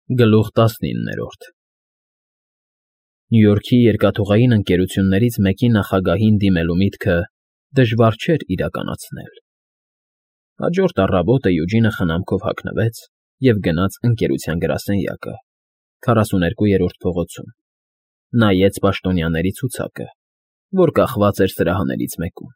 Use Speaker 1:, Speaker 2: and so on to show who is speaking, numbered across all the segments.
Speaker 1: Գլուխ 19 Նյու Յորքի երկաթուղային ընկերություններից մեկի նախագահին դիմելու միտքը դժվար չէր իրականացնել։ Հաջորդ առավոտը Յուջինը խնամքով հագնվեց և գնաց ընկերության գրասենյակը, 42-րդ փողոցում, նայեց պաշտոնյաների ցուցակը, որ կախված էր սրահներից մեկում,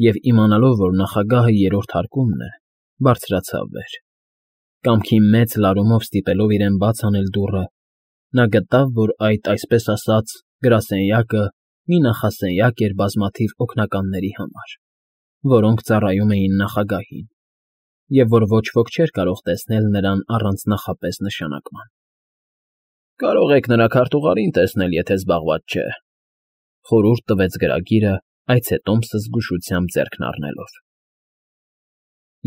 Speaker 1: և իմանալով, որ նախագահը երրորդ հարկումն է, բարձրացավ վեր։ Կամքի մեծ լարումով ստիպելով իրեն բաց անել դուռը, նա գտավ, որ այդ, այսպես ասած, գրասենյակը մի նախասենյակ էր բազմաթիվ օգնականների համար, որոնք ծառայում էին նախագահին, և որ ոչ ոք չէր կարող տեսնել նրան առանց նախապես նշանակման։ Կարող եք նրա քարտուղարին տեսնել, եթե զբաղված չէ, խորհուրդ տվեց գրագիրը, այցետոմսը զգուշությամբ ձեռքն առնելով։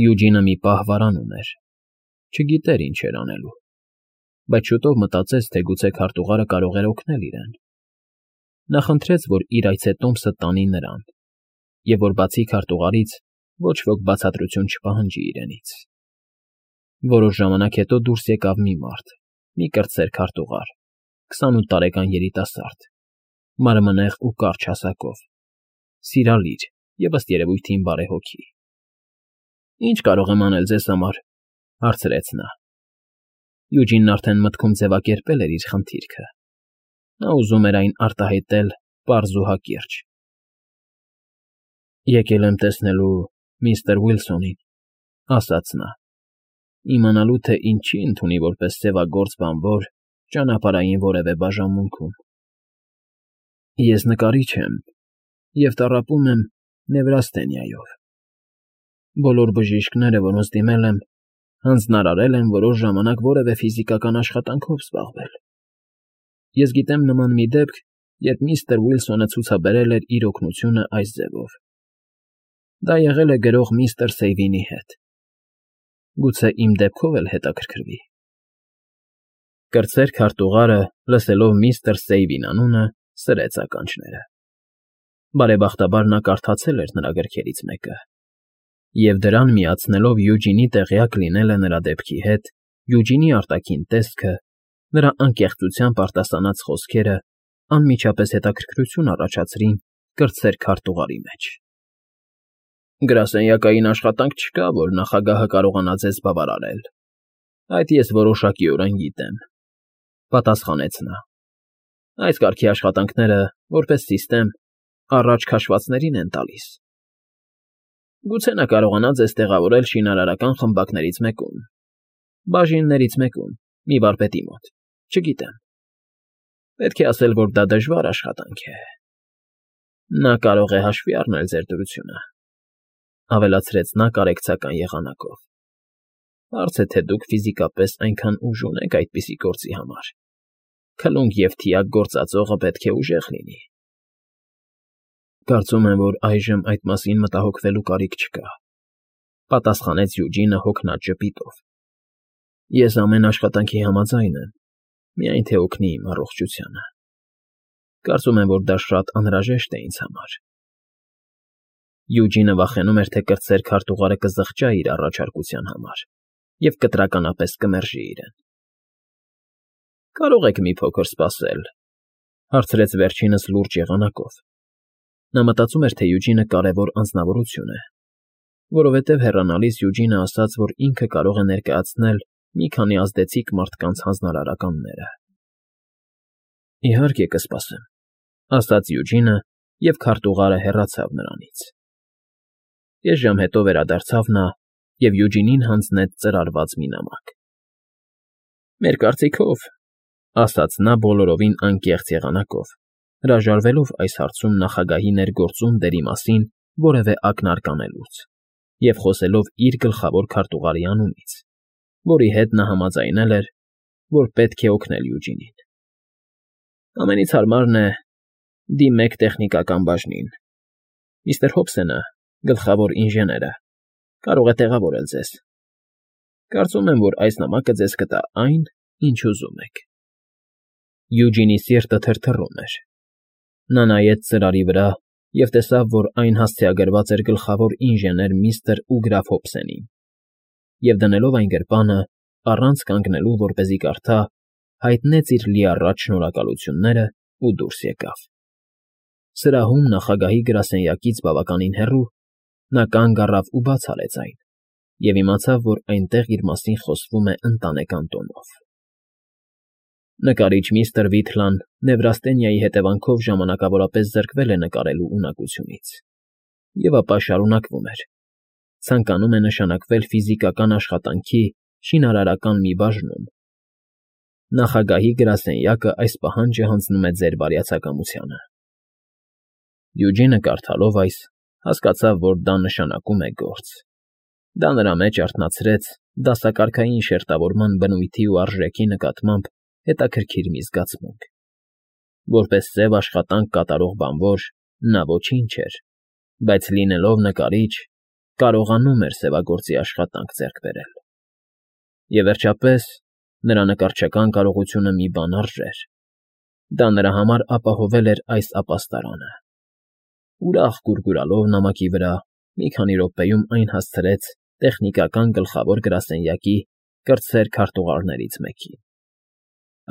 Speaker 1: Յուջինը մի պահ վարանում էր, չգիտեր ինչ էր անելու, բայց շուտով մտածեց, թե գուցե քարտուղարը կարող էր օգնել իրեն։ Նա խնդրեց, որ իր այցետոմսը տանի նրան, և որ բացի քարտուղարից ոչ ոք բացատրություն չպահանջի իրենից։ Որոշ ժամանակ հետո դուրս եկավ մի մարդ, մի կրտսեր քարտուղար, 28 տարեկան երիտասարդ, մարմնեղ ու կարճ հասակով, սիրալիր և ըստ երևույթին բարեհոգի։ Ինչ կարող եմ անել ձեզ համար, հարցրեց նա։ Յուջինն արդեն մտքում ձևակերպել էր իր խնդիրքը։ Նա ուզում էր այն արտահայտել պարզ ու հակիրճ։ Եկել եմ տեսնելու միստր Ուիլսոնին, ասաց նա, իմանալու, թե ինչի ընդունի որպես սևագործ բանվոր ճանապարհային որևէ բաժանմունքում։ Ես նկարիչ եմ և տառապում եմ նևրաստենիայով։ Բոլոր բժիշկները, որոնց դիմել եմ, հանձնարարել են որոշ ժամանակ որևէ ֆիզիկական աշխատանքով զբաղվել։ Ես գիտեմ նման մի դեպք, երբ միստր Ուիլսոնը ցուցաբերել էր իր օգնությունը այս ձևով։ Դա եղել է գրող միստր Սեյվինի հետ։ Գուցե իմ դեպքով էլ հետաքրքրվի։ Կրտսեր քարտուղարը, լսելով միստր Սեյվին անունը, սրեց ականջները։ Բարեբախտաբար նա կարդացել էր նրա գրքերից մեկը, և դրան միացնելով Յուջինի տեղյակ լինելը նրա դեպքի հետ, Յուջինի արտաքին տեսքը, նրա անկեղծությամբ արտասանած խոսքերը անմիջապես հետաքրքրություն առաջացրին կրտսեր քարտուղարի մեջ։ Գրասենյակային աշխատանք չկա, որ նախագահը կարողանա ձեզ բավարարել։ Այդ ես որոշակիորեն գիտեմ, պատասխանեց նա։ Այս կարգի աշխատանքները, որպես սիստեմ, առաջ քաշվածներին են տալիս։ Գուցե նա կարողանա ձեզ տեղավորել շինարարական խմբակներից մեկում, բաժիններից մեկում, մի վարպետի մոտ, չգիտեմ։ Պետք է ասել, որ դա դժվար աշխատանք է։ Նա կարող է հաշվի առնել ձեր դրությունը, ավելացրեց նա կարեկցական եղանակով։ Հարց է, թե դուք ֆիզիկապես այնքան ուժ ունեք այդպիսի գործի համար։ Քլունգ և թիակ գործածողը պետք է ուժեղ լինի։ Կարծում եմ, որ այժմ այդ մասին մտահոգվելու կարիք չկա, պատասխանեց Յուջինը հոգնած ժպիտով։ Ես ամեն աշխատանքի համաձայն եմ, միայն թե օգնի իմ առողջությանը։ Կարծում եմ, որ դա շատ անհրաժեշտ է ինձ համար։ Յուջինը վախենում էր, թե կրտսեր քարտուղարը կզղջա իր առաջարկության համար և կտրականապես կմերժի իրեն։ Կարող եք մի փոքր սպասել, հարցրեց վերջինս լուրջ եղանակով։ Նա մտածում էր, թե Յուջինը կարևոր անձնավորություն է, որովհետև հեռանալիս Յուջինը ասաց, որ ինքը կարող է ներկայացնել մի քանի ազդեցիկ մարդկանց հանձնարարականները։ Իհարկե կսպասեմ, ասաց Յուջինը, և քարտուղարը հեռացավ նրանից։ Կես ժամ հետո վերադարձավ նա և Յուջինին հանձնեց ծրարված մի նամակ։ Մեր կարծիքով, ասաց նա բոլորովին անկեղծ եղանակով, հրաժարվելով այս հարցում նախագահի ներգործում դերի մասին որևէ ակնարկ անելուց և խոսելով իր գլխավոր քարտուղարի անունից, որի հետ նա համաձայնել էր, որ պետք է օգնել Յուջինին։ Ամենից հարմարն է, դիմեք տեխնիկական բաժնին։ Միստր Հոբսենը, գլխավոր ինժեները, կարող է տեղավորել ձեզ։ Կարծում եմ, որ այս նամակը ձեզ կտա այն, ինչ ուզում եք։ Յուջինի սիրտը թրթռում էր։ Նա նայեց ծրարի վրա և տեսավ, որ այն հասցեագրված էր գլխավոր ինժեներ միստր Ուգրաֆ Հոբսենին, և դնելով այն գրպանը, առանց կանգնելու, որպեսզի կարդա, հայտնեց իր լիառատ շնորհակալություններն ու դուրս եկավ։ Սրահում նախագահի գրասենյակից բավականին հեռու նա կանգ առավ ու բաց արեց այն և իմացավ, որ այնտեղ իր մասին խոսվում է ընտանեկան տոնով։ Նկարիչ միստր Վիթլան Նևրաստենիայի հետևանքով ժամանակավորապես զրկվել է նկարելու ունակությունից, և ապա շարունակվում էր. ցանկանում է նշանակվել ֆիզիկական աշխատանքի շինարարական մի բաժնում։ Նախագահի գրասենյակը այս պահանջը հանձնում է ձեր բարյացակամությանը։ Յուջինը կարդալով այս, հասկացավ, որ դա նշանակում է գործ։ Դա նրա մեջ արթնացրեց դասակարգային շերտավորման բնույթի ու արժեքի նկատմամբ հետաքրքիր մի զգացմունք։ Որպես սև աշխատանք կատարող բանվոր նա ոչինչ չէր, բայց լինելով նկարիչ, կարողանում էր սևագործի աշխատանք ձեռք բերել։ Եվ վերջապես, նրա նկարչական կարողությունը մի բան արժեր։ Դա նրա համար ապահովել էր այս ապաստարանը։ Ուրախ գուրգուրալով նամակի վրա, մի քանի րոպեում այն հասցրեց տեխնիկական գլխավոր գրասենյակի կրտսեր քարտուղարներից մեկին։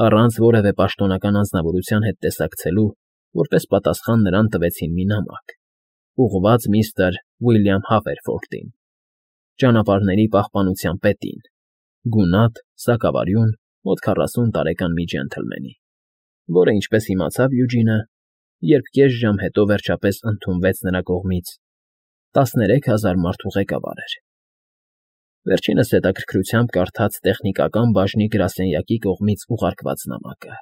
Speaker 1: Առանց որևէ պաշտոնական անձնավորության հետ տեսակցելու, որպես պատասխան նրան տվեցին մի նամակ, ուղղված միստր Ուիլյամ Հավերֆորդին, ճանապարհների պահպանության պետին, գունատ, սակավարյուն, մոտ 40 տարեկան մի ջենթլմենի, որը, ինչպես իմացավ Յուջինը, երբ կես ժամ հետո վերջապես ընդունվեց նրա կողմից, 13,000 մարդու ղեկավար էր։ Վերջինս հետաքրքրությամբ կարդաց տեխնիկական բաժնի գրասենյակի կողմից ուղարկված նամակը։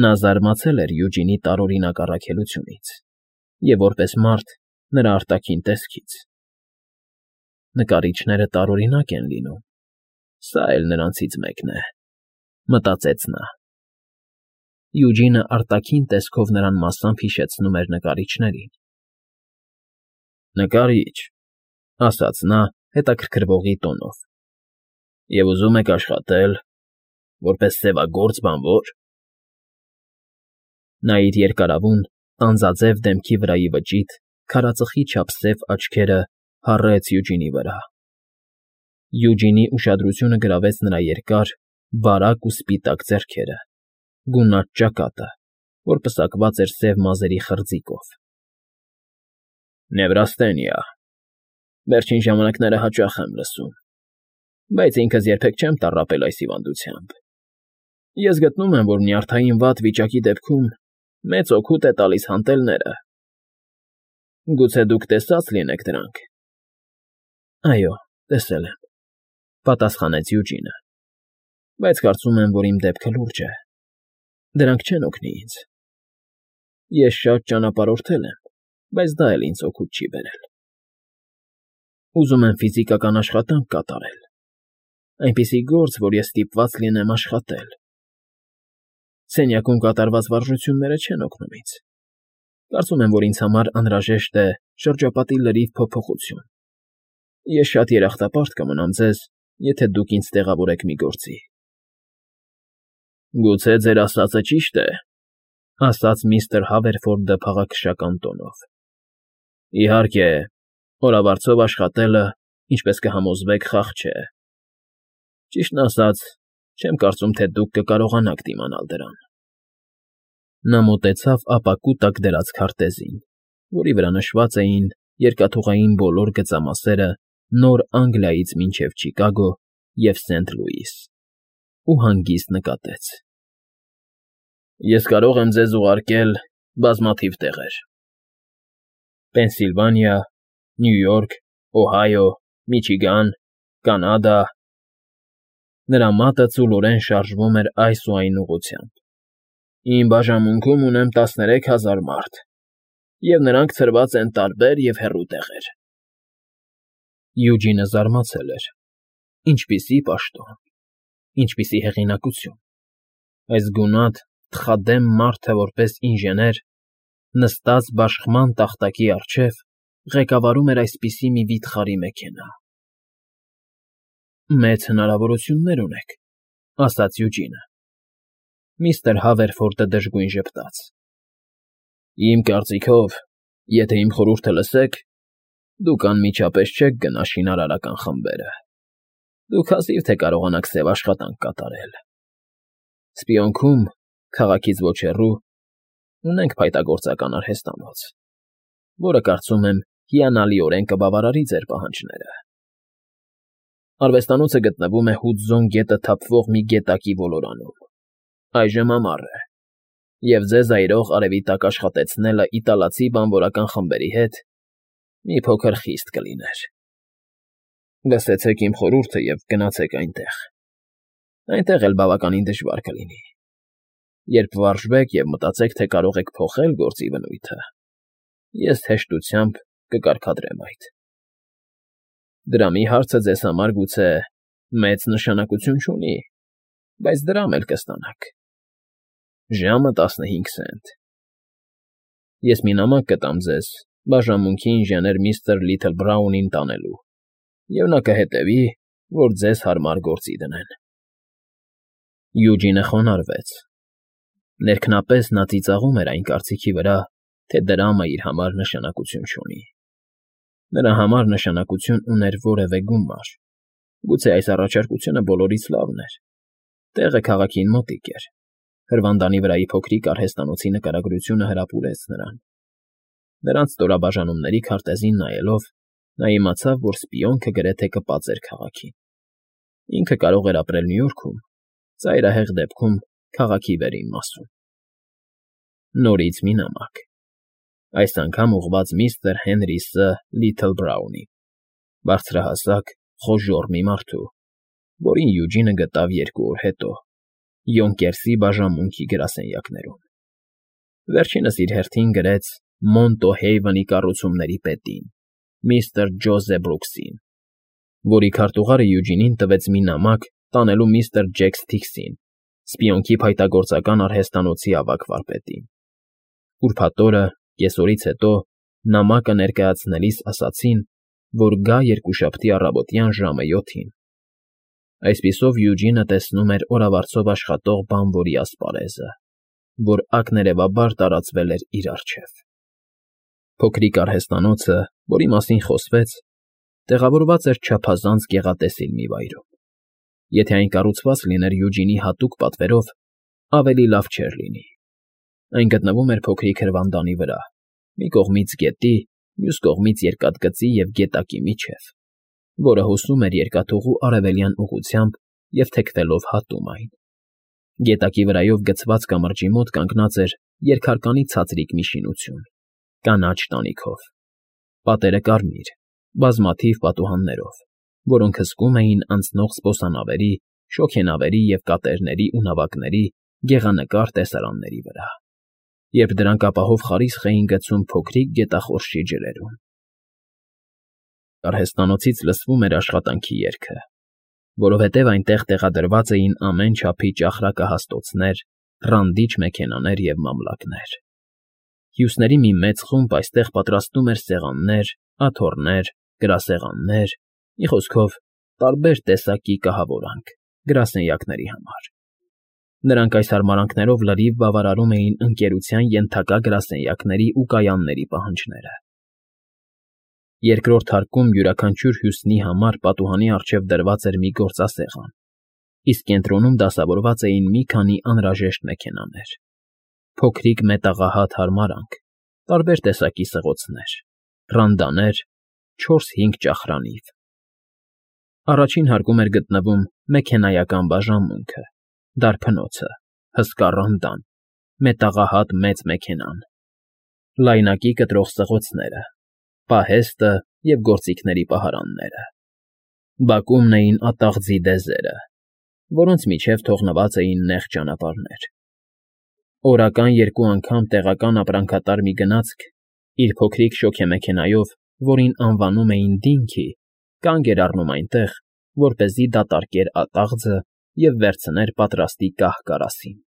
Speaker 1: Նա զարմացել էր Յուջինի տարօրինակ առաքելությունից և, որպես մարդ, նրա արտաքին տեսքից։ Նկարիչները տարօրինակ են լինում, սա էլ նրանցից մեկն է, մտածեց նա։ Յուջինը արտաքին տեսքով նրան մասամբ հիշեցնում էր նկարիչներին։ Նկարիչ, ասաց նա հետաքրքրվողի տոնով, և ուզում եք աշխատել որպես սևագործ բանվոր։ Նա իր երկարավուն, տանձաձև դեմքի վրայի վճիտ, քարածխի չափ սև աչքերը հառեց Յուջինի վրա։ Յուջինի ուշադրությունը գրավեց նրա երկար, բարակ ու սպիտակ ձեռքերը, գունատ ճակատը, որ պսակված էր սև մազերի խրձիկով։ Նևրաստենիա, վերջին ժամանակները հաճախ եմ լսում, բայց ինքս երբեք չեմ տառապել այս հիվանդությամբ։ Ես գտնում եմ, որ նյարդային վատ վիճակի դեպքում մեծ օգուտ է տալիս հանդելները։ Գուցե դուք տեսած լինեք դրանք։ Այո, տեսել եմ, պատասխանեց Յուջինը, բայց կարծում եմ, որ իմ դեպքը լուրջ է։ Դրանք չեն օգնի ինձ։ Ես շատ ճանապարհորդել եմ, բայց դա էլ ինձ օգուտ չի բերել։ Ուզում եմ ֆիզիկական աշխատանք կատարել, այնպիսի գործ, որ ես ստիպված լինեմ աշխատել։ Սենյակում կատարված վարժությունները չեն օգնում ինձ։ Կարծում եմ, որ ինձ համար անհրաժեշտ է շրջապատի լրիվ փոփոխություն։ Ես շատ երախտապարտ կմնամ ձեզ, եթե դուք ինձ տեղավորեք մի գործի։ Գուցե ձեր ասածը ճիշտ է, ասաց միստր Հավերֆորդը փաղաքշական տոնով։ Իհարկե, օրավարձով աշխատելը, ինչպես կհամոզվեք, խաղ չէ։ Ճիշտն ասած, չեմ կարծում, թե դուք կկարողանաք դիմանալ դրան։ Նա մոտեցավ ապակու տակ դրած քարտեզին, որի վրա նշված էին երկաթուղային բոլոր գծամասերը Նոր Անգլիայից մինչև Չիկագո և Սենթ Լուիս, ու հանգիստ նկատեց. Ես կարող եմ ձեզ ուղարկել բազմաթիվ տեղեր. Պենսիլվանիա, Նյու Յորք, Օհայո, Միչիգան, Կանադա։ Նրա մատը ծուլորեն շարժվում էր այս ու այն ուղղությամբ։ Իմ բաժանմունքում ունեմ 13,000 մարդ, և նրանք ցրված են տարբեր և հեռու տեղեր։ Յուջինը զարմացել էր. ինչպիսի պաշտոն, ինչպիսի հեղինակություն։ Այս գունատ, թխադեմ մարդը որպես ինժեներ, նստած բաշխման տախտակի առջև, ղեկավարում էր այսպիսի մի վիթխարի մեքենա։ Մեծ հնարավորություններ ունեք, ասաց Յուջինը։ Միստր Հավերֆորդը դժգույն ժպտաց. Իմ կարծիքով, եթե իմ խորհուրդը լսեք, դուք անմիջապես չեք գնա շինարարական խմբերը։ Դուք հազիվ թե կարողանաք սև աշխատանք կատարել։ Սպիոնքում, քաղաքից ոչ հեռու, ունենք փայտագործական արհեստանոց, որը, կարծում եմ, հիանալիորեն կբավարարի ձեր պահանջները։ Արվեստանոցը գտնվում է Հուդզոն գետը թափվող մի գետակի ոլորանում, այժմ ամառ է, և ձեզ այրող արևի տակ աշխատեցնելը իտալացի բանվորական խմբերի հետ մի փոքր խիստ կլիներ։ Լսեցեք իմ խորհուրդը և գնացեք այնտեղ։ Այնտեղ էլ բավականին դժվար կլինի։ Երբ վարժվեք և մտածեք, թե կարող եք փոխել գործի բնույթը, ես հեշտությամբ կկարգադրեմ այդ։ Դրամի հարցը ձեզ համար գուցե մեծ նշանակություն չունի, բայց դրամ էլ կստանաք։ Ժամը 15 սենտ։ Ես մի նամակ կտամ ձեզ բաժանմունքի ինժեներ միստր Լիթլբրաունին տանելու, և նա կհետևի, որ ձեզ հարմար գործի դնեն։ Յուջինը խոնարհվեց։ Ներքնապես նա ծիծաղում էր այն կարծիքի վրա, թե դրամը իր համար նշանակություն չունի։ Նրա համար նշանակություն ուներ որևէ գումար։ Գուցե այս առաջարկությունը բոլորից լավն էր։ Տեղը քաղաքին մոտիկ էր։ Հրվանդանի վրայի փոքրիկ արհեստանոցի նկարագրությունը հրապուրեց նրան։ Նրանց ստորաբաժանումների քարտեզին նայելով, նա իմացավ, որ սպիոնքը գրեթե կպածեր քաղաքին։ Ինքը կարող էր ապրել Նյու Յորքում, ծայրահեղ դեպքում քաղաքի վերին մասում։ Նորից մի նամակ։ Այս անգամ ուղղված միստր Հենրի Ս. Լիթլբրաունին, բարձրահասակ, խոժոռ մի մարդու, որին Յուջինը գտավ 2 օր հետո Յոնկերսի բաժանմունքի գրասենյակներում։ Վերջինս իր հերթին գրեց Մոնտո Հեյվնի կառուցումների պետին, միստր Ջոզեֆ Բրուքսին, որի քարտուղարը Յուջինին տվեց մի նամակ տանելու միստր Ջեք Սթիքսին, սպիոնքի փայտագործական արհեստանոցի ավագ վարպետին։ Ուրբաթ օրը, կեսօրից հետո, նամակը ներկայացնելիս ասացին, որ գա երկուշաբթի առավոտյան ժամը 7-ին։ Այսպիսով Յուջինը տեսնում էր օրավարձով աշխատող բանվորի ասպարեզը, որ ակներևաբար տարածվել էր իր առջև։ Փոքրիկ արհեստանոցը, որի մասին խոսվեց, տեղավորված էր չափազանց գեղատեսիլ մի վայրում։ Եթե այն կառուցված լիներ Յուջինի հատուկ պատվերով, ավելի լավ չէր լինի։ Այն գտնվում էր փոքրիկ հրվանդանի վրա, մի կողմից գետի, մյուս կողմից երկաթգծի և գետակի միջև, որը հոսում էր երկաթուղու արևելյան ուղղությամբ և թեքվելով հատում այն։ Գետակի վրայով գցված կամրջի մոտ կանգնած էր երկհարկանի ցածրիկ մի շինություն, կանաչ տանիքով։ Պատերը կարմիր, բազմաթիվ պատուհաններով, որոնք հսկում էին անցնող զբոսանավերի, շոգենավերի և կատերների ու նավակների գեղանկար տեսարանների վրա, երբ դրանք ապահով խարիսխ էին գցում փոքրիկ գետախորշի ջրերում։ Արհեստանոցից լսվում էր աշխատանքի երգը, որովհետև այնտեղ տեղադրված էին ամեն չափի ճախրակահաստոցներ, ռանդիչ մեքենաներ և մամլակներ։ Հյուսների մի մեծ խումբ այստեղ պատրաստում էր սեղաններ, աթոռներ, գրասեղաններ, մի խոսքով, տարբեր տեսակի կահավորանք գրասենյակների համար։ Նրանք այս հարմարանքներով լրիվ բավարարում էին ընկերության ենթակա գրասենյակների ու կայանների պահանջները։ Երկրորդ հարկում յուրաքանչյուր հյուսնի համար պատուհանի առջև դրված էր մի գործասեղան, իսկ կենտրոնում դասավորված էին մի քանի անհրաժեշտ մեքենաներ, փոքրիկ մետաղահատ հարմարանք, տարբեր տեսակի սղոցներ, ռանդաներ, 4-5 ճախրանիվ։ Առաջին հարկում էր գտնվում մեքենայական բաժանմունքը, դարբնոցը, հսկա ռանդան, մետաղահատ մեծ մեքենան, լայնակի կտրող սղոցները, պահեստը և գործիքների պահարանները։ Բակումն էին ատաղձի դեզերը, որոնց միջև թողնված էին նեղ ճանապարհներ։ Օրական 2 անգամ տեղական ապրանքատար մի գնացք իր փոքրիկ շոգեմեքենայով, որին անվանում էին Դինքի, կանգ էր առնում այնտեղ, որպեսզի դատարկեր ատաղձը և վերցներ պատրաստի կահ կարասին։